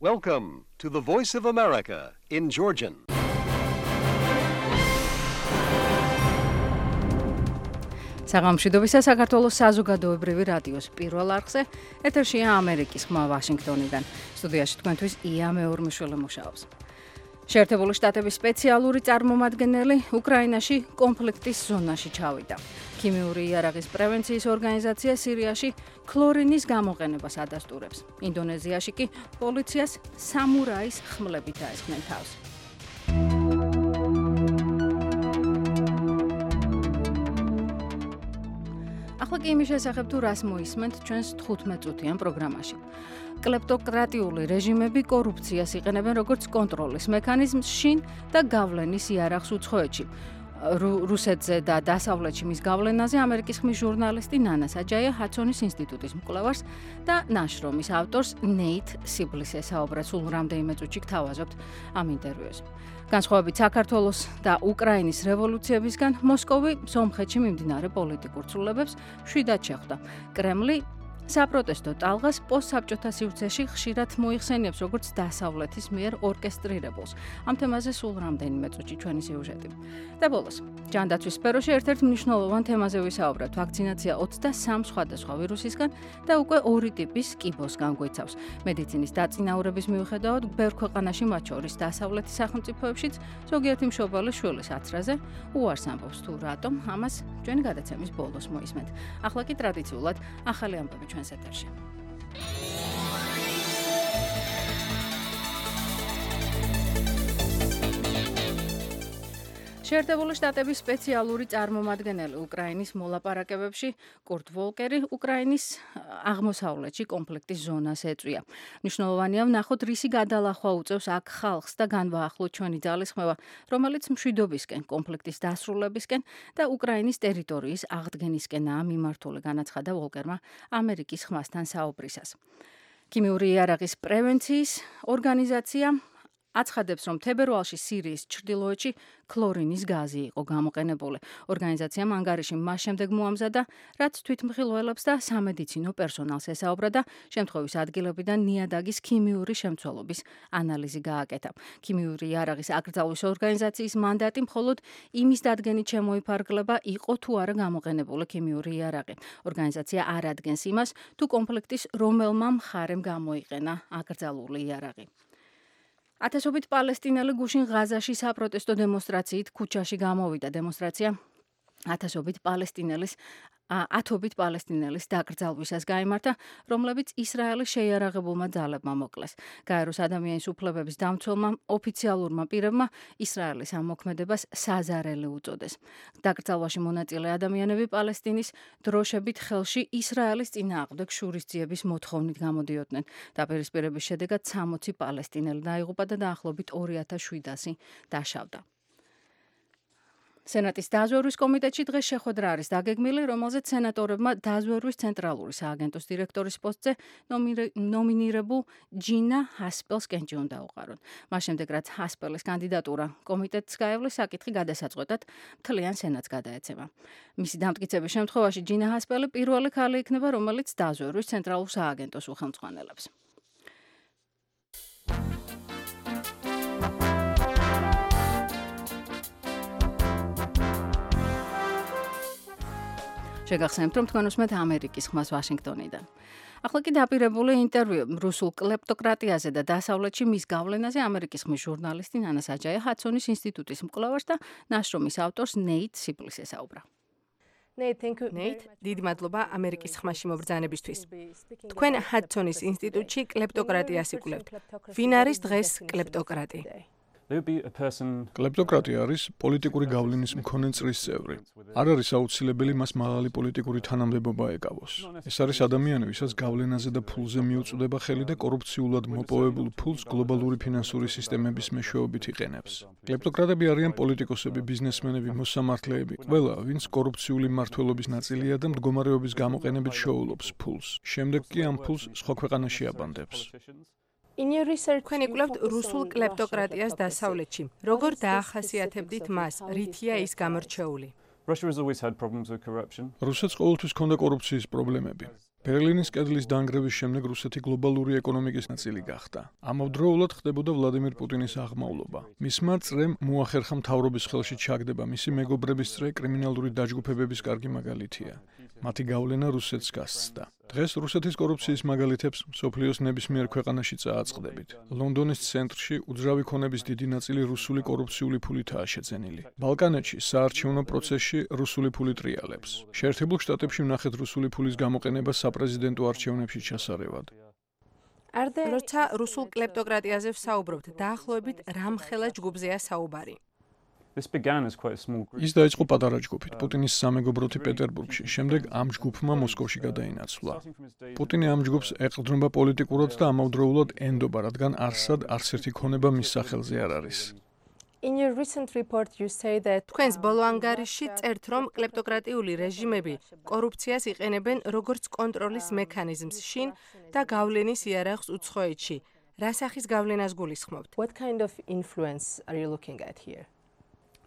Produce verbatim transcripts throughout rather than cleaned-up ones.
Welcome to the Voice of America in Georgian. საღამოშვიდობისა საქართველოს საზოგადოებრივი რადიოს პირველ არხზე ეთერშია ამერიკის ხმა ვაშინგტონიდან. სტუდიაში თქვენთვის ია მეორმიშვილი მუშაობს. შეერთებული შტატების სპეციალური წარმომადგენელი უკრაინაში კონფლიქტის ზონაში ჩავიდა. ქიმიური იარაღის პრევენციის ორგანიზაცია სირიაში ქლორინის გამოყენებას ადასტურებს. ინდონეზიაში კი პოლიციას სამურაის ხმლებით დაესხნენ თავს. ახლა კი იმის შესახებ თუ რას მოისმენთ ჩვენს თხუთმეტ წუთიან პროგრამაში. კლეპტოკრატიული რეჟიმები კორუფციას იყენებენ როგორც კონტროლის მექანიზმს შინ და გავლენის იარაღს უცხოეთში. რუსეთზე და დასავლეთში მის გავლენაზე ამერიკის ხმის ჟურნალისტი ნანა საჯაია ჰადსონის ინსტიტუტის მკვლევარს და ნაშრომის ავტორს ნეით სიბლისს ესაუბრა. სულ რამდენიმე წუთში გთავაზობთ ამ ინტერვიუს. განსხვავებით საქართველოს და უკრაინის რევოლუციებისგან მოსკოვი სომხეთში მიმდინარე პოლიტიკურ ცვლილებებს მშვიდად შეხვდა. კრემლი საპროტესტო ტალღას პოსტსაბჭოთა სივრცეში ხშირად მოიხსენიებს როგორც დასავლეთის მიერ ორკესტრირებულს. ამ თემაზე სულ რამდენიმე წუთში ჩვენი სიუჟეტი. და ბოლოს, ჯანდაცვის სფეროში ერთ-ერთ მნიშვნელოვან თემაზე ვისაუბრებთ. ვაქცინაცია ოცდასამ სხვადასხვა ვირუსისგან და უკვე ორი ტიპის კიბოსგან გვიცავს. მედიცინის დაწინაურების მიუხედავად, ბევრ ქვეყანაში, მათ შორის დასავლეთის სახელმწიფოებშიც, ზოგიერთი მშობელი შვილის აცრაზე უარს ამბობს თუ რატომ, ამას ჩვენი გადაცემის ბოლოს მოისმენთ. ახლა კი ტრადიციულად ახალი ამბები ჩვენს ეთერში. შეერთებული შტატების სპეციალური წარმომადგენელი უკრაინის მოლაპარაკებებში კურტ ვოლკერი უკრაინის აღმოსავლეთში კონფლიქტის ზონას ეწვია. მნიშვნელოვანია ვნახოთ, რისი გადალახვა უწევს აქ ხალხს და განვაახლოთ ჩვენი ძალისხმევა, რომელიც მშვიდობისკენ, კონფლიქტის დასრულებისკენ და უკრაინის ტერიტორიის აღდგენისკენაა მიმართული, განაცხადა ვოლკერმა ამერიკის ხმასთან საუბრისას. ქიმიური იარაღის პრევენციის ორგანიზაცია აცხადებს, რომ თებერვალში სირიის ჩრდილოეთში ქლორინის გაზი იყო გამოყენებული. ორგანიზაციამ ანგარიში მას შემდეგ მოამზადა, რაც თვითმხილველებს და სამედიცინო პერსონალს ესაუბრა და შემთხვევის ადგილებიდან ნიადაგის ქიმიური შემცველობის ანალიზი გააკეთა. ქიმიური იარაღის აკრძალვის ორგანიზაციის მანდატი მხოლოდ იმის დადგენით შემოიფარგლება, იყო თუ არა გამოყენებული ქიმიური იარაღი. ორგანიზაცია არ ადგენს იმას, თუ კონფლიქტის რომელმა მხარემ გამოიყენა აკრძალული იარაღი. ათასობით პალესტინელი გუშინ ღაზაში საპროტესტო დემონსტრაციით ქუჩაში გამოვიდა. დემონსტრაცია ათასობით პალესტინელის ათობით პალესტინელის დაკრძალვისას გაიმართა, რომლებიც ისრაელის შეიარაღებულმა ძალებმა მოკლეს. გაეროს ადამიანის უფლებების დამცველმა ოფიციალურმა პირებმა ისრაელის ამ მოქმედებას საზარელი უწოდეს. დაკრძალვაში მონაწილე ადამიანები პალესტინის დროშებით ხელში ისრაელის წინააღმდეგ შურისძიების მოთხოვნით გამოდიოდნენ. დაპირისპირების შედეგად სამოცი პალესტინელი დაიღუპა და დაახლოებით ორი ათას შვიდასი დაშავდა. სენატის დაზვერვის კომიტეტში დღეს შეხვედრა არის დაგეგმილი, რომელზეც სენატორებმა დაზვერვის ცენტრალური სააგენტოს დირექტორის პოსტზე ნომინირებულ ჯინა ჰასპელს კენჭი უნდა უყარონ. მას შემდეგ, რაც ჰასპელის კანდიდატურა კომიტეტს გაევლეს, საკითხი გადასაწყვეტად მთლიან სენატს გადაეცემა. მისი დამტკიცების შემთხვევაში ჯინა ჰასპელი პირველი ქალი იქნება, რომელიც დაზვერვის ცენტრალურ სააგენტოს უხელმძღვანელებს. შეგახსენებთ, რომ თქვენ უსმენთ ამერიკის ხმას ვაშინგტონიდან. ახლა კი დაპირებული ინტერვიუ რუსულ კლეპტოკრატიაზე და დასავლეთში მის გავლენაზე ამერიკის ხმის ჟურნალისტი ნანა საჯაია ჰადსონის ინსტიტუტის მკვლევარს და ნაშრომის ავტორს ნეით სიბლისს ესაუბრა. ნეით, დიდი მადლობა ამერიკის ხმაში მობრძანებისთვის. თქვენ ჰადსონის ინსტიტუტში კლეპტოკრატიას იკვლევთ. ვინ არის დღეს კლეპტოკრატი? კლეპტოკრატია არის პოლიტიკური გავლენის მქონე წრის წევრი. არ არის აუცილებელი მას მაღალი პოლიტიკური თანამდებობა ეკავოს. ეს არის ადამიანი, ვისაც გავლენაზე და ფულზე მიუწვდება ხელი და კორუფციულად მოპოვებულ ფულს გლობალური ფინანსური სისტემების მეშვეობით იყენებს. კლეპტოკრატები არიან პოლიტიკოსები, ბიზნესმენები, მოსამართლეები, ყველა, ვინც კორუფციული მმართველობის ნაწილია და მდგომარეობის გამოყენებით შოულობს ფულს. შემდეგ კი ამ ფულს სხვა ქვეყანაში აბანდებს. თქვენ იკვლევთ რუსულ კლეპტოკრატიას დასავლეთში. როგორ დაახასიათებდით მას? რითია ის გამორჩეული? რუსეთს ყოველთვის ჰქონდა კორუფციის პრობლემები. ბერლინის კედლის დანგრევის შემდეგ რუსეთი გლობალური ეკონომიკის ნაწილი გახდა. ამავდროულად ხდებოდა ვლადიმირ პუტინის აღმავლობა. მისმა წრემ მოახერხა მთავრობის ხელში ჩაგდება მისი მეგობრების წრე კრიმინალური დაჯგუფებების კარგი მაგალითია. მათი გავლენა რუსეთს გასცდა. დღეს რუსეთის კორუფციის მაგალითებს მსოფლიოს ნებისმიერ ქვეყანაში წააწყდებით. ლონდონის ცენტრში უძრავი ქონების დიდი ნაწილი რუსული კორუფციული ფულითაა შეძენილი. ბალკანეთში საარჩევნო პროცესში რუსული ფული ტრიალებს. შეერთებულ შტატებში ვნახეთ რუსული ფულის გამოყენება საპრეზიდენტო არჩევნებში ჩასარევად. როცა რუსულ კლეპტოკრატიაზე ვსაუბრობთ, დაახლოებით რამხელა ჯგუფზეა საუბარი. ის დაიწყო პატარა ჯგუფით, პუტინის სამეგობროთი პეტერბურგში, შემდეგ ამ ჯგუფმა მოსკოვში გადაინაცვლა. პუტინი ამ ჯგუფს ეყრდნობა პოლიტიკურად და ამავდროულად ენდობა, რადგან არსად არც ერთი ქონება მის სახელზე არ არის. თქვენს ბოლო ანგარიშში წერთ, რომ კლეპტოკრატიული რეჟიმები კორუფციას იყენებენ როგორც კონტროლის მექანიზმს შინ და გავლენის იარაღს უცხოეთში. რა სახის გავლენას გულისხმობთ?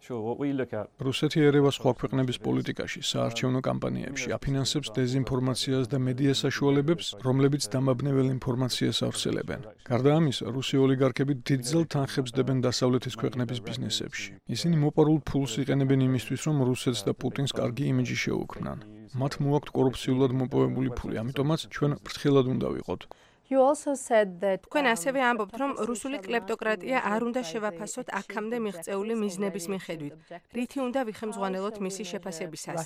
რუსეთი ერევა სხვა ქვეყნების პოლიტიკაში, საარჩევნო კამპანიებში, აფინანსებს დეზინფორმაციას და მედია საშუალებებს, რომლებიც დამაბნეվել ინფორმაციას ავრცელებენ. გარდა ამისა, რუსი ოლიგარქები დიდძალ თანხებს დებენ დასავლეთის ქვეყნების ბიზნესებში. ისინი მოპარულ ფულს იყენებენ იმისთვის, რომ რუსეთს და პუტინს კარგი იმიჯი შეუქმნან. მათ მოაქვთ კორუფციულად მოპოვებული ფული, ამიტომაც ჩვენ ფრთხილად უნდა ვიყოთ. თქვენ ასევე ამბობთ, რომ რუსული კლეპტოკრატია არ უნდა შევაფასოთ აქამდე მიღწეული მიზნების მიხედვით. რითი უნდა ვიხემძღვანელოთ მისი შეფასებისას?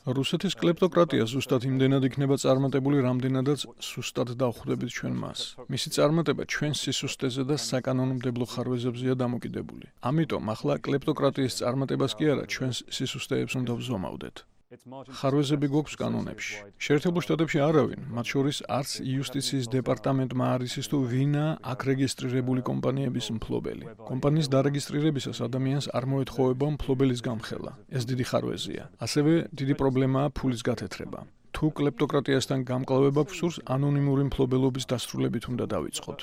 რუსეთის კლეპტოკრატია ზუსტად იმდენად იქნება წარმატებული, რამდენადაც სუსტად დავხვდებით ჩვენ მას. მისი წარმატება ჩვენს სისუსტეზე და საკანონმდებლო ხარვეზებზეა დამოკიდებული. ამიტომ ახლა კლეპტოკრატიის წარმატებას კი არა, ჩვენს სისუსტეებს უნდა ვზომავდეთ. ხარვეზები გვაქვს კანონებში. შეერთებულ შტატებში არავინ, მათ შორის არც იუსტიციის დეპარტამენტმა არ იცის თუ ვინაა აქ რეგისტრირებული კომპანიების მფლობელი. კომპანიის დარეგისტრირებისას ადამიანს არ მოეთხოვება მფლობელის გამხელა. ეს დიდი ხარვეზია. ასევე დიდი პრობლემაა ფულის გათეთრება. თუ კლეპტოკრატიასთან გამკლავება გვსურს, ანონიმური მფლობელობის დასრულებით უნდა დავიწყოთ.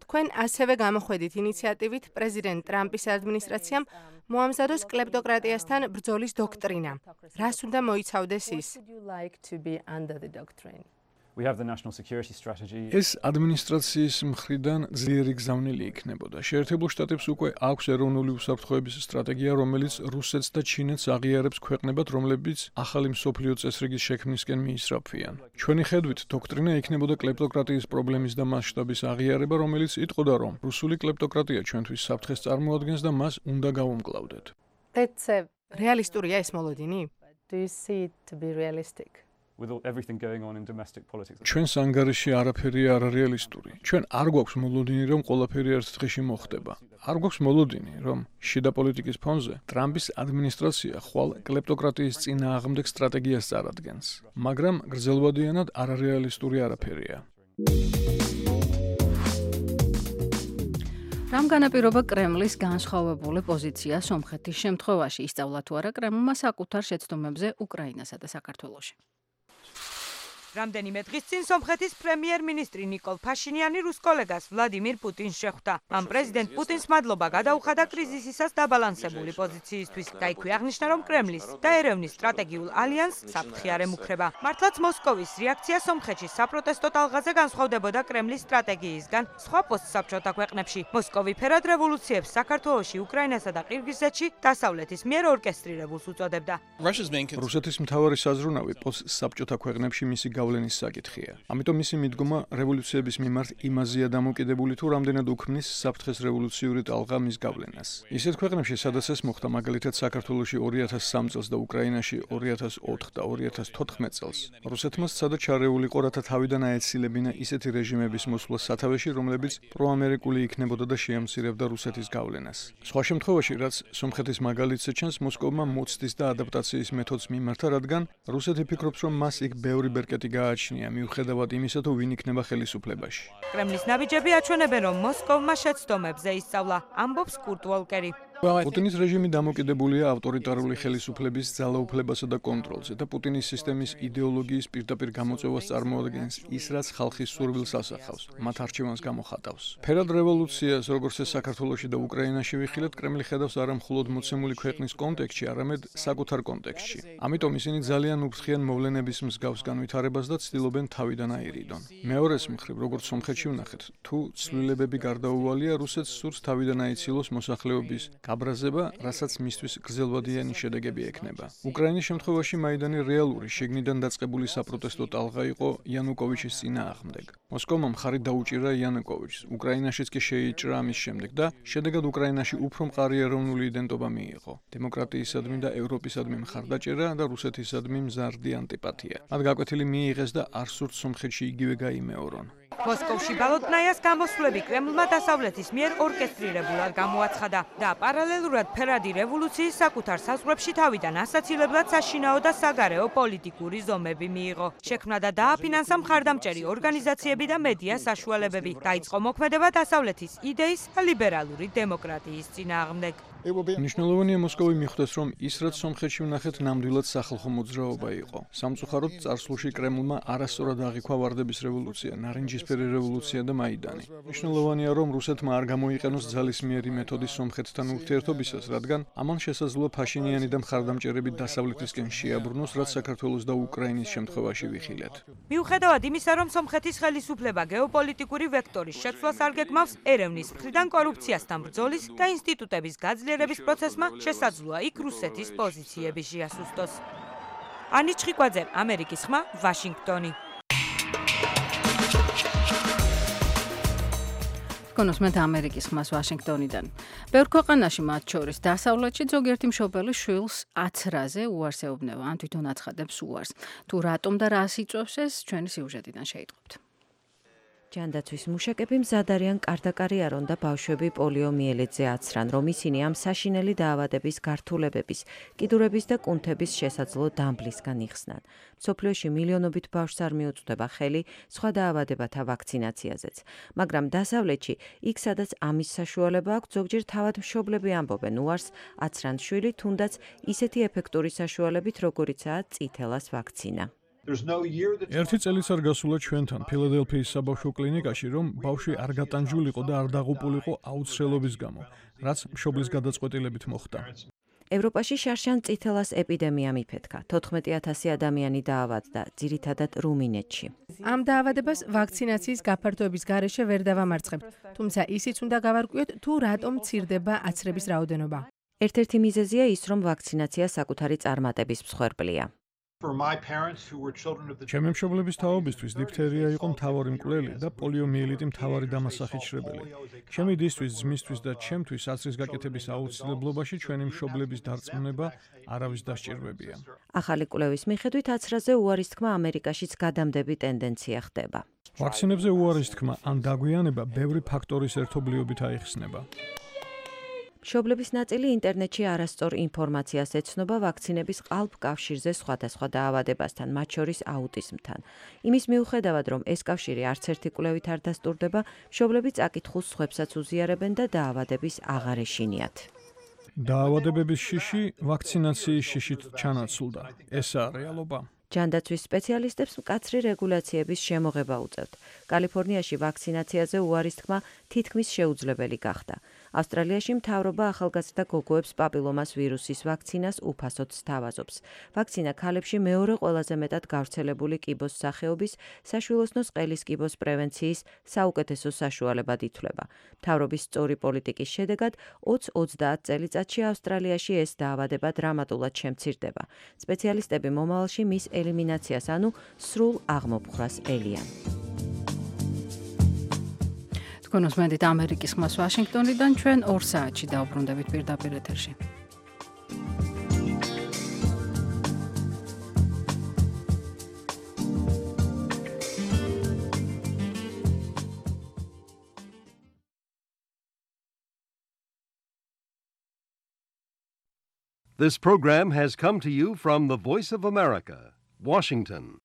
თქვენ ასევე გამოხვედით ინიციატივით პრეზიდენტ ტრამპის ადმინისტრაციამ მოამზადოს კლეპტოკრატიასთან ბრძოლის დოქტრინა. რას უნდა მოიცავდეს ის? ეს ადმინისტრაციის მხრიდან ძლიერი გზავნილი იქნებოდა. შეერთებულ შტატებს უკვე აქვს ეროვნული უსაფრთხოების სტრატეგია, რომელიც რუსეთს და ჩინეთს აღიარებს ქვეყნებად, რომლებიც ახალი მსოფლიო წესრიგის შექმნისკენ მიისწრაფვიან. ჩვენი ხედვით, დოქტრინა იქნებოდა კლეპტოკრატიის პრობლემის და მასშტაბის აღიარება, რომელიც იტყოდა, რომ რუსული კლეპტოკრატია ჩვენთვის საფრთხეს წარმოადგენს და მას უნდა გავუმკლავდეთ. რეალისტურია ეს მოლოდინი? ჩვენს ანგარიში არაფერია არარეალისტური. ჩვენ არ გვაქვს მოლოდინი, რომ ყველაფერი ერთ დღეში მოხდება. არ გვაქვს მოლოდინი, რომ შიდა პოლიტიკის ფონზე ტრამპის ადმინისტრაცია ხვალ კლეპტოკრატიის წინააღმდეგ სტრატეგიას წარადგენს. მაგრამ გრძელვადიანად არარეალისტური არაფერია. რამ განაპირობა კრემლის განსხვავებული პოზიცია სომხეთის შემთხვევაში? ისწავლა თუ არა კრემლმა საკუთარ შეცდომებზე უკრაინასა და საქართველოში. რამდენიმე დღის წინ სომხეთის პრემიერ-მინისტრი ნიკოლ ფაშინიანი რუს კოლეგას ვლადიმირ პუტინს შეხვდა. მან პრეზიდენტ პუტინს მადლობა გადაუხადა კრიზისისას დაბალანსებული პოზიციისთვის და იქვე აღნიშნა, რომ კრემლის და ერევნის სტრატეგიულ ალიანსს საფრთხე არ ემუქრება. მართლაც მოსკოვის რეაქცია სომხეთში საპროტესტო ტალღაზე განსხვავდებოდა კრემლის სტრატეგიისგან სხვა პოსტსაბჭოთა ქვეყნებში. მოსკოვი ფერად რევოლუციებს საქართველოში, უკრაინასა და ყირგიზეთში დასავლეთის მიერ ორკესტრირებულს უწოდებდა. რუსეთის მთავარი საზრუნავი პოსტსაბჭოთა ქვეყნებში მისი გავლენის საკითხია. ამიტომ მისი მიდგომა რევოლუციების მიმართ იმაზეა დამოკიდებული, თუ რამდენად უქმნის საფრთხეს რევოლუციური ტალღა მის გავლენას. ისეთ ქვეყნებში, სადაც ეს მოხდა, მაგალითად საქართველოში ორი ათას სამი წელს და უკრაინაში ორი ათას ოთხ და ორი ათას თოთხმეტ წელს, რუსეთმა სცადა ჩარეულიყო, რათა თავიდან აეცილებინა ისეთი რეჟიმების მოსვლა სათავეში, რომლებიც პროამერიკული იქნებოდა და შეამცირებდა რუსეთის გავლენას. სხვა შემთხვევაში, რაც სომხეთის მაგალითზე ჩანს, მოსკოვმა მოცდის და ადაპტაციის მეთოდს მიმართა, რადგან რუსეთი ფიქრობს, რომ მას იქ ბევრი ბერკეტი გააჩნია, მიუხედავად იმისა, თუ ვინ იქნება ხელისუფლებაში. კრემლის ნაბიჯები აჩვენებენ, რომ მოსკოვმა შეცდომებზე ისწავლა, ამბობს კურტ ვოლკერი. პუტინის რეჟიმი დამოკიდებულია ავტორიტარული ხელისუფლების ძალაუფლებასა და კონტროლზე და პუტინის სისტემის იდეოლოგიის პირდაპირ გამოწვევას წარმოადგენს ის, რაც ხალხის სურვილს ასახავს, მათ არჩევანს გამოხატავს. ფერად რევოლუციას, როგორც ეს საქართველოში და უკრაინაში ვიხილეთ, კრემლი ხედავს არა მხოლოდ მოცემული ქვეყნის კონტექსტში, არამედ საკუთარ კონტექსტში. ამიტომ ისინი ძალიან უფრთხიან მოვლენების მსგავს განვითარებას და ცდილობენ თავიდან აირიდონ. მეორეს მხრივ, როგორც სომხეთში ვნახეთ, თუ ცვლილებები გარდაუვალია, რუსეთს სურს თავიდან აიცილოს მოსახლეობის გაბრაზება, რასაც მისთვის გრძელვადიანი შედეგები ექნება. უკრაინის შემთხვევაში მაიდანი რეალური, შიგნიდან დაწყებული საპროტესტო ტალღა იყო იანუკოვიჩის წინააღმდეგ. მოსკოვმა მხარი დაუჭირა იანუკოვიჩს, უკრაინაშიც კი შეიჭრა ამის შემდეგ და შედეგად უკრაინაში უფრო მყარი ეროვნული იდენტობა მიიღო. დემოკრატიისადმი და ევროპისადმი მხარდაჭერა და რუსეთისადმი მზარდი ანტიპათია. მათ გაკვეთილი მიიღეს და არ სურთ სომხეთში იგივე გაიმეორონ. მოსკოვში ბალოტნაიას გამოსვლები კრემლმა დასავლეთის მიერ ორკესტრირებულად გამოაცხადა და პარალელურად ფერადი რევოლუციის საკუთარ საზღვრებში თავიდან ასაცილებლად საშინაო და საგარეო პოლიტიკური ზომები მიიღო. შექმნა და დააფინანსა მხარდამჭერი ორგანიზაციები და მედია საშუალებები. დაიწყო მოქმედება დასავლეთის იდეის ლიბერალური დემოკრატიის წინააღმდეგ. მნიშვნელოვანია მოსკოვი მიხვდეს, რომ ის, რაც სომხეთში ვნახეთ, ნამდვილად სახალხო მოძრაობა იყო. სამწუხაროდ წარსულში კრემლმა არასწორად აღიქვა ვარდების რევოლუცია, ნარინჯისფერი რევოლუცია და მაიდანი. მნიშვნელოვანია, რომ რუსეთმა არ გამოიყენოს ძალისმიერი მეთოდი სომხეთთან ურთიერთობისას, რადგან ამან შესაძლოა ფაშინიანი და მხარდამჭერები დასავლეთისკენ შეაბრუნოს, რაც საქართველოს და უკრაინის შემთხვევაში ვიხილეთ. მიუხედავად იმისა, რომ სომხეთის ხელისუფლება გეოპოლიტიკური ვექტორის შეცვლას არ გეგმავს, ერევნის მხრიდან კორუფციასთან ბრძოლის და ინსტიტუტების გაძლიერების პროცესმა შესაძლოა იქ რუსეთის პოზიციები შეასუსტოს. ანი ჩხიკვაძე, ამერიკის ხმა, ვაშინგტონი. კონოსმეთ ამერიკის ხმას ვაშინგტონიდან. ბევრ ქვეყანაში, მათ შორის დასავლეთში, ზოგიერთი მშობელი შვილს აცრაზე უარს ეუბნება, ან თვითონ აცხადებს უარს. თუ რატომ და რას იწვევს ეს, ჩვენი სიუჟეტიდან შეიტყობთ. ჯანდაცვის მუშაკები მზად არიან კარ-და-კარი არონ და ბავშვები პოლიომიელიტზე აცრან, რომ ისინი ამ საშინელი დაავადების გართულებების, კიდურების და კუნთების შესაძლო დამბლისგან იხსნან. მსოფლიოში მილიონობით ბავშვს არ მიუწვდება ხელი სხვა დაავადებათა ვაქცინაციაზეც. მაგრამ დასავლეთში, იქ სადაც ამის საშუალება აქვს, ზოგჯერ თავად მშობლები ამბობენ უარს აცრან შვილი, თუნდაც ისეთი ეფექტური საშუალებით, როგორიცაა წითელას ვაქცინა. ერთი წელიც არ გასულა ჩვენთან ფილადელფიის საბავშვო კლინიკაში, რომ ბავშვი არ გატანჯულიყო და არ დაღუპულიყო აუცილებლობის გამო, რაც მშობლის გადაწყვეტილებით მოხდა. ევროპაში შარშან წითელას ეპიდემია მიფეთქა. თოთხმეტი ათასი ადამიანი დაავადდა, ძირითადად რუმინეთში. ამ დაავადებას ვაქცინაციის გაფართოების გარეშე ვერ დავამარცხებთ, თუმცა ისიც უნდა გავარკვიოთ, თუ რატომ მცირდება აცრების რაოდენობა. ერთ-ერთი მიზეზია ის, რომ ვაქცინაცია საკუთარი წარმატების მსხვერპლია. ჩემი მშობლების თაობისთვის დიფთერია იყო მთავარი მკვლელი და პოლიომიელიტი მთავარი დამასახიჩრებელი. ჩემი დისთვის, ძმისთვის და ჩემთვის აცრის გაკეთების აუცილებლობაში ჩვენი მშობლების დარწმუნება არავის დასჭირვებია. ახალი კვლევის მიხედვით აცრაზე უარის თქმა ამერიკაშიც გადამდები ტენდენცია ხდება. ვაქცინებზე უარის თქმა ან დაგვიანება ბევრი ფაქტორის ერთობლიობით აიხსნება. მშობლების ნაწილი ინტერნეტში არასწორ ინფორმაციას ეცნობა ვაქცინების ყალბ კავშირზე სხვადასხვა დაავადებასთან, მათ შორის აუტიზმთან. იმის მიუხედავად, რომ ეს კავშირი არც ერთი კვლევით არ დასტურდება, მშობლები წაკითხულს სხვებსაც უზიარებენ და დაავადების აღარ ეშინიათ. დაავადებების შიში ვაქცინაციის შიშით ჩანაცვლდა. ესაა რეალობა. ჯანდაცვის სპეციალისტებს მკაცრი რეგულაციების შემოღება უწევთ. კალიფორნიაში ვაქცინაციაზე უარის თქმა თითქმის შეუძლებელი გახდა. ავსტრალიაში მთავრობა ახალგაზრდა გოგოებს პაპილომას ვირუსის ვაქცინას უფასოდ სთავაზობს. ვაქცინა ქალებში მეორე ყველაზე მეტად გავრცელებული კიბოს სახეობის საშვილოსნოს ყელის კიბოს პრევენციის საუკეთესო საშუალებად ითვლება. მთავრობის სწორი პოლიტიკის შედეგად ოცდაათ წელიწადში ავსტრალიაში ეს დაავადება დრამატულად შემცირდება. სპეციალისტები მომავალში მის ელიმინაციას, ანუ სრულ აღმოფხვრას ელიან. კონოსმედით ამერიკის ხმას ვაშინგტონიდან ჩვენ ორ საათში დავბრუნდებით პირდაპირ ეთერში. This program has come to you from the Voice of America, Washington.